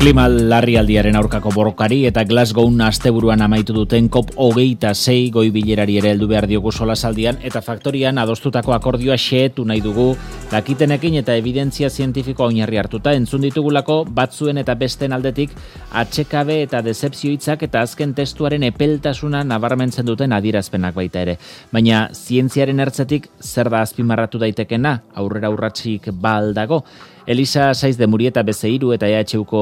Klima larrialdiaren aurkako borrokari eta Glasgown asteburuan amaitu duten COP26 goi-bilerari ere heldu behar diogu solasaldian eta faktorian adostutako akordioa xehetu nahi dugu dakitenekin eta evidentzia zientifikoa oinarri hartuta entzun ditugulako batzuen eta besten aldetik atsekabe eta decepzio hitzak eta azken testuaren epeltasuna nabarmentzen duten adierazpenak baita ere. Baina zientziaren ertzetik zer da azpimarratu daitekena aurrera urratsik ba al dago? Elisa Saiz de Murieta Bezeiru eta EHUko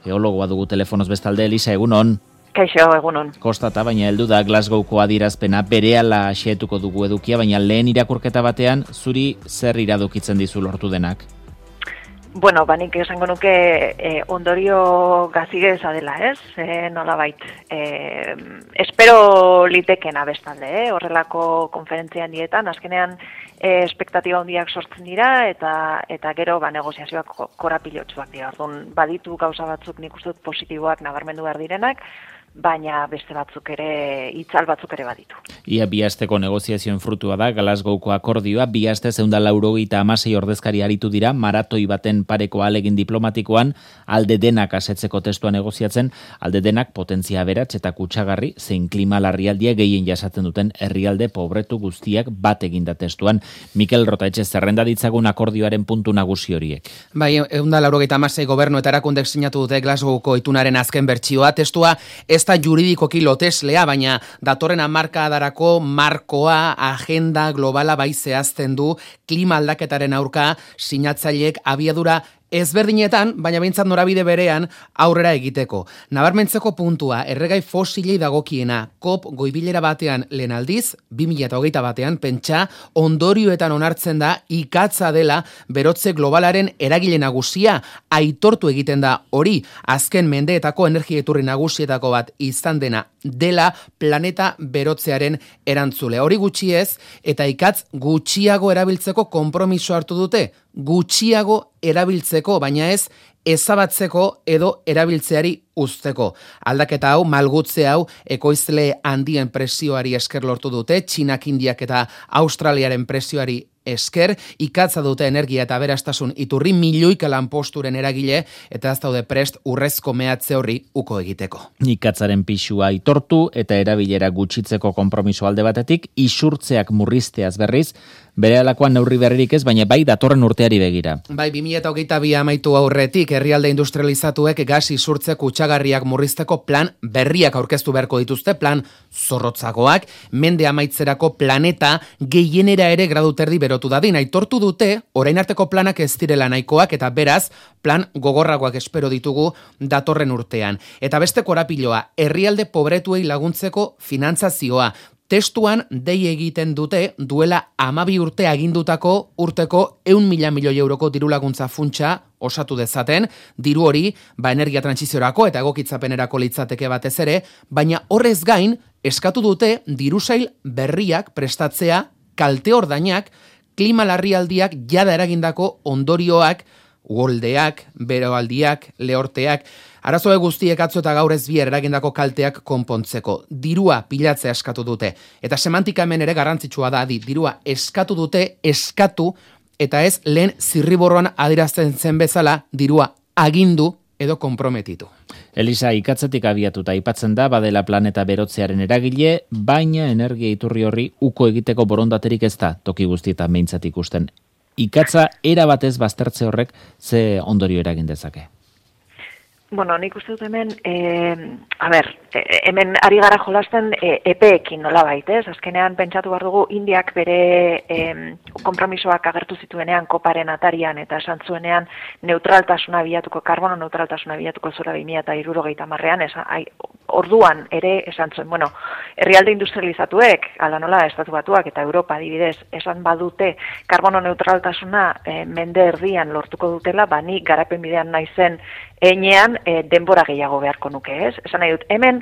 geologoa dugu telefonoz bestalde. Elisa, egunon. Kaixo, egunon. Kostata, baina heldu da Glasgowko adierazpena berehala xehetuko dugu edukia, baina lehen irakurketa batean zuri zer iradokitzen dizu lortu denak? Bueno, nik esango nuke ondorio gazigeza dela, ez? Nolabait. Espero litekena bestalde, horrelako konferentzian dietan, azkenean espektatiba handiak sortzen dira eta gero negoziazioak korapilotsuak dira. Orduan baditu gauza batzuk nik uste dut positiboak nabarmendu behar direnak, baina beste batzuk ere, itzal batzuk ere baditu. Ia bi asteko negoziazioen frutua da Glasgowko akordioa, bi aste 196 ordezkari aritu dira, maratoi baten pareko ahalegin diplomatikoan, alde denak asetzeko testua negoziatzen, alde denak potentzia aberats eta kutsagarri zein klima larrialdia gehien jasatzen duten herrialde pobretu guztiak bat eginda testuan. Mikel Rotaetxe, zerrenda ditzagun akordioaren puntu nagusi horiek. Bai, 196 gobernu eta erakundek sinatu dute Glasgowko itunaren azken bertsioa, testua ez da juridikoki loteslea, baina datorren hamarkadarako markoa, agenda globala bai zehazten du klima aldaketaren aurka sinatzaileek abiadura ezberdinetan, baina behintzat norabide berean aurrera egiteko. Nabarmentzeko puntua, erregai fosilei dagokiena, COP goibilera batean lehen aldiz, 2021 batean, pentsa, ondorioetan onartzen da ikatza dela berotze globalaren eragile nagusia, aitortu egiten da hori, azken mendeetako energia iturri nagusietako bat izan dena dela planeta berotzearen erantzule. Hori gutxi ez, eta ikatz gutxiago erabiltzeko konpromiso hartu dute, gutxiago erabiltzeko, baina ez ezabatzeko edo erabiltzeari uzteko. Aldaketa hau, malgutze hau, ekoizle handien presioari esker lortu dute, Txinak, Indiak eta Australiaren presioari esker, ikatza dute energia eta aberastasun iturri milioika lanposturen eragile eta ez daude prest urrezko mehatze horri uko egiteko. Ikatzaren pisua aitortu eta erabilera gutxitzeko konpromiso alde batetik, isurtzeak murrizteaz berriz, berehalakoan neurri berririk ez, baina bai datorren urteari begira. Bai, 2022 amaitu aurretik, herrialde industrializatuek gas isurtze kutsagarriak murrizteko plan berriak aurkeztu beharko dituzte, plan zorrotzagoak, mende amaitzerako planeta gehienera ere gradu terdi berotu dadin. Aitortu dute, orain arteko planak ez direla nahikoak eta beraz, plan gogorragoak espero ditugu datorren urtean. Eta beste korapiloa, herrialde pobretuei laguntzeko finantzazioa. Testuan dei egiten dute duela 12 urte agindutako urteko 100.000 milioi euroko diru laguntza funtsa osatu dezaten, diru hori energia trantsiziorako eta egokitzapenerako litzateke batez ere, baina horrez gain eskatu dute dirusail berriak prestatzea kalte ordainak, klima larrialdiak jada eragindako ondorioak, uholdeak, beroaldiak, lehorteak, arazoe guztiek atzo eta gaur ez bihar eragindako kalteak konpontzeko. Dirua pilatzea eskatu dute. Eta semantika hemen ere garrantzitsua da, dirua eskatu dute, eskatu, eta ez lehen zirriborroan adierazten zen bezala, dirua agindu edo konprometitu. Elisa, ikatzetik abiatuta aipatzen da, badela planeta berotzearen eragile, baina energia iturri horri uko egiteko borondaterik ez da, toki guztietan behintzat ikusten. Ikatza erabatez baztertze horrek ze ondorio eragin dezake? Bueno, nik uste dut hemen, hemen ari gara jolasten epeekin nolabait, ez? Azkenean pentsatu behar dugu Indiak bere konpromisoak agertu zituenean koparen atarian eta esan zuenean neutraltasuna bilatuko, karbono neutraltasuna bilatuko zura 2060ean, orduan ere esan zuen, bueno, herrialde industrializatuek, ala nola, Estatu Batuak eta Europa adibidez, esan badute karbono neutraltasuna mende erdian lortuko dutela, ni garapen bidean naizen enean denbora gehiago beharko nuke, ez? Esan nahi dut, hemen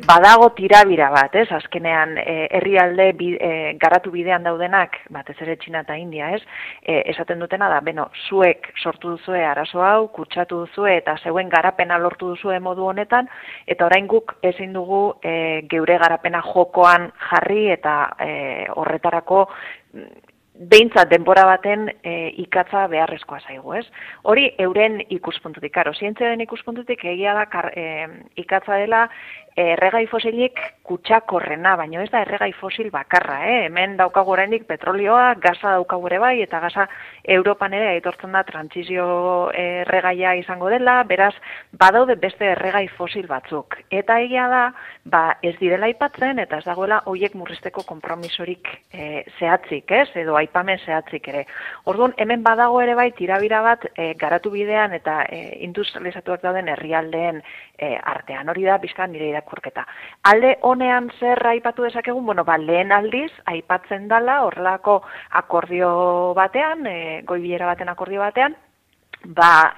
badago tirabira bat, ez? Azkenean herrialde garatu bidean daudenak, batez ere Txina eta India, ez? Esaten dutena da, zuek sortu duzue arazo hau, kutsatu duzue eta zeuen garapena lortu duzue modu honetan, eta orain guk ezin dugu geure garapena jokoan jarri eta horretarako behintzat denbora baten ikatza beharrezkoa zaigu, ez? Hori euren ikuspuntutik, karo, zientziaren ikuspuntutik egia da ikatza dela erregai fosilik kutsakorrena, baina ez da erregai fosil bakarra, Hemen daukagu oraindik petrolioa, gaza daukagu ere bai, eta gaza Europan ere aitortzen da trantsizio erregaia izango dela, beraz, badaude beste erregai fosil batzuk. Eta egia da, ez direla aipatzen, eta ez dagoela hoiek murrizteko konpromisorik zehatzik, edo aipamen zehatzik ere. Orduan, hemen badago ere bai, tirabira bat garatu bidean eta industrializatuak dauden herrialdeen artean. Hori da, bizka nire irakurketa. Alde honean zer aipatu dezakegun, lehen aldiz, aipatzen dala horrelako akordio batean, goi-bilera baten akordio batean,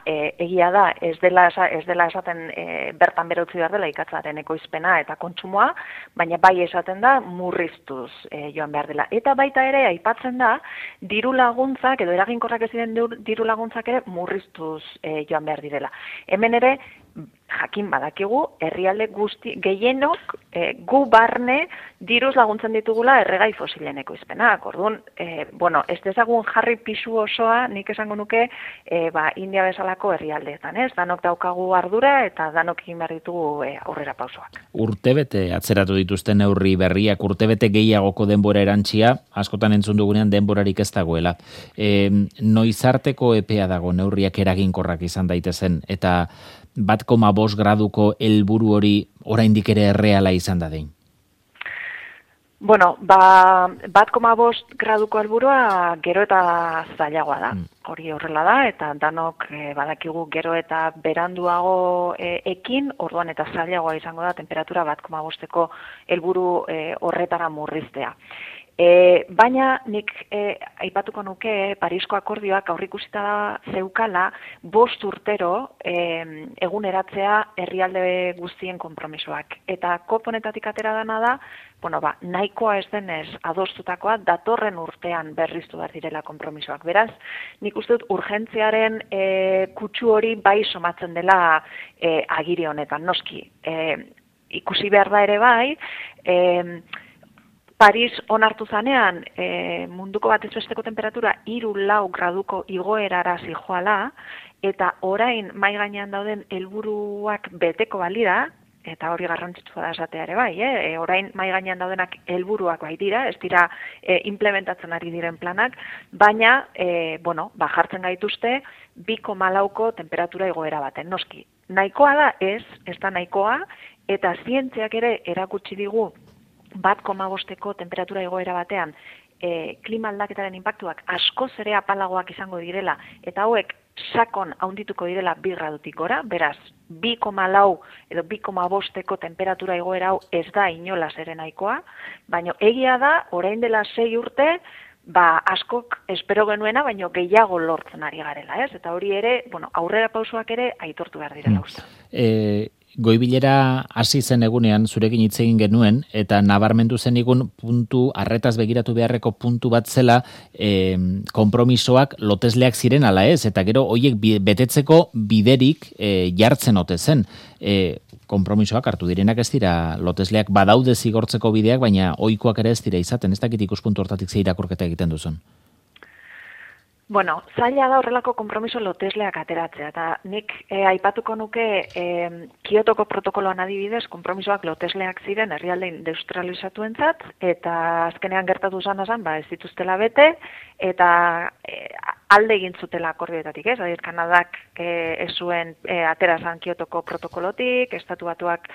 egia da, ez dela esaten bertan bera utzi behar dela ikatzaren ekoizpena eta kontsumoa, baina bai esaten da murriztuz joan behar dela. Eta baita ere aipatzen da diru laguntzak edo eraginkorrak ez diren diru laguntzak ere murriztuz joan behar direla. Hemen ere jakin badakigu herrialde guzti gehienok gu barne diruz laguntzen ditugula erregai fosilen ekoizpenak. Orduan, ez dezagun jarri pisu osoa, nik esango nuke, India bezalako herrialdeetan, ez? Danok daukagu ardura eta danok egin behar ditugu aurrera pausoak. Urtebete atzeratu dituzten neurri berriak, urtebete gehiagoko denbora erantsia, askotan entzun dugunean denborarik ez dagoela. Noizarteko epea dago neurriak eraginkorrak izan daitezen, eta 1,5 graduko helburu hori oraindik ere erreala izan da dein? 1,5 graduko helburua gero eta zailagoa da. Hori horrela da, eta danok badakigu gero eta beranduago ekin, orduan eta zailagoa izango da temperatura 1,5ko helburu horretara murriztea. Baina nik aipatuko nuke Parisko akordioak aurrikusita zeukala 5 urtero eguneratzea herrialde guztien konpromisoak. Eta COP honetatik atera dana da, nahikoa ez denez adostutakoa datorren urtean berriztu behar direla konpromisoak. Beraz, nik uste dut urgentziaren kutsu hori bai somatzen dela agiri honetan, noski. Ikusi behar da ere bai, Paris onartu zanean munduko batez besteko temperatura 3-4 graduko igoerara zijoala, eta orain mai gainean dauden helburuak beteko balira, eta hori garrantzitsua da esatea ere bai, orain mai gainean daudenak helburuak bai dira, ez dira implementatzen ari diren planak, baina jartzen gaituzte 2,4ko temperatura igoera baten, noski. Nahikoa da ez da nahikoa, eta zientziak ere erakutsi digu 1,5ko temperatura igoera batean klima aldaketaren inpaktuak askoz ere apalagoak izango direla, eta hauek sakon handituko direla 2 gradutik gora, beraz 2,4 edo 2,5ko temperatura igoera hau ez da inolaz ere nahikoa, baina egia da, orain dela 6 urte, askok espero genuena, baina gehiago lortzen ari garela, ez? Eta hori ere, aurrera pausoak ere aitortu behar direla uste. Goibilera hasi zen egunean zurekin hitz egin genuen, eta nabarmendu zenigun puntu, arretaz begiratu beharreko puntu bat zela konpromisoak lotesleak ziren ala ez, eta gero horiek betetzeko biderik jartzen ote zen. Konpromisoak hartu direnak ez dira lotesleak, badaude zigortzeko bideak, baina ohikoak ere ez dira izaten, ez dakit ikuspuntu hortatik ze irakurketa egiten duzun. Zaila da horrelako konpromiso lotesleak ateratzea, eta nik aipatuko nuke Kiotoko protokoloan adibidez, konpromisoak lotesleak ziren herrialde industrializatuentzat, eta azkenean gertatu zan ez dituztela bete, eta alde egin zutela akordioetatik, ez? Adibidez, Kanadak ez zuen atera zan Kiotoko protokolotik, Estatu Batuak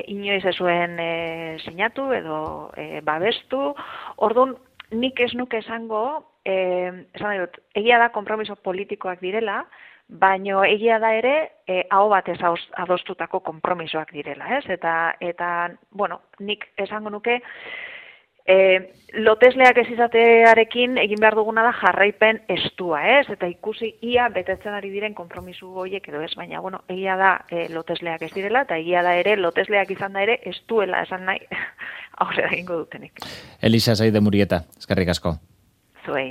inoiz ez zuen sinatu edo babestu, orduan nik ez nuke esango, egia da konpromiso politikoak direla, baina egia da ere aho batez adostutako konpromisoak direla, ez? Eta nik esango nuke lotesleak ez izatearekin egin behar duguna da jarraipen estua, ez? Eta ikusi ia betetzen ari diren konpromiso horiek edo ez, baina egia da lotesleak ez direla, eta egia da ere lotesleak izan da ere ez duela esan nahi aurrera egingo dutenik. Elisa Saide Murieta, eskerrik asko. Zuei.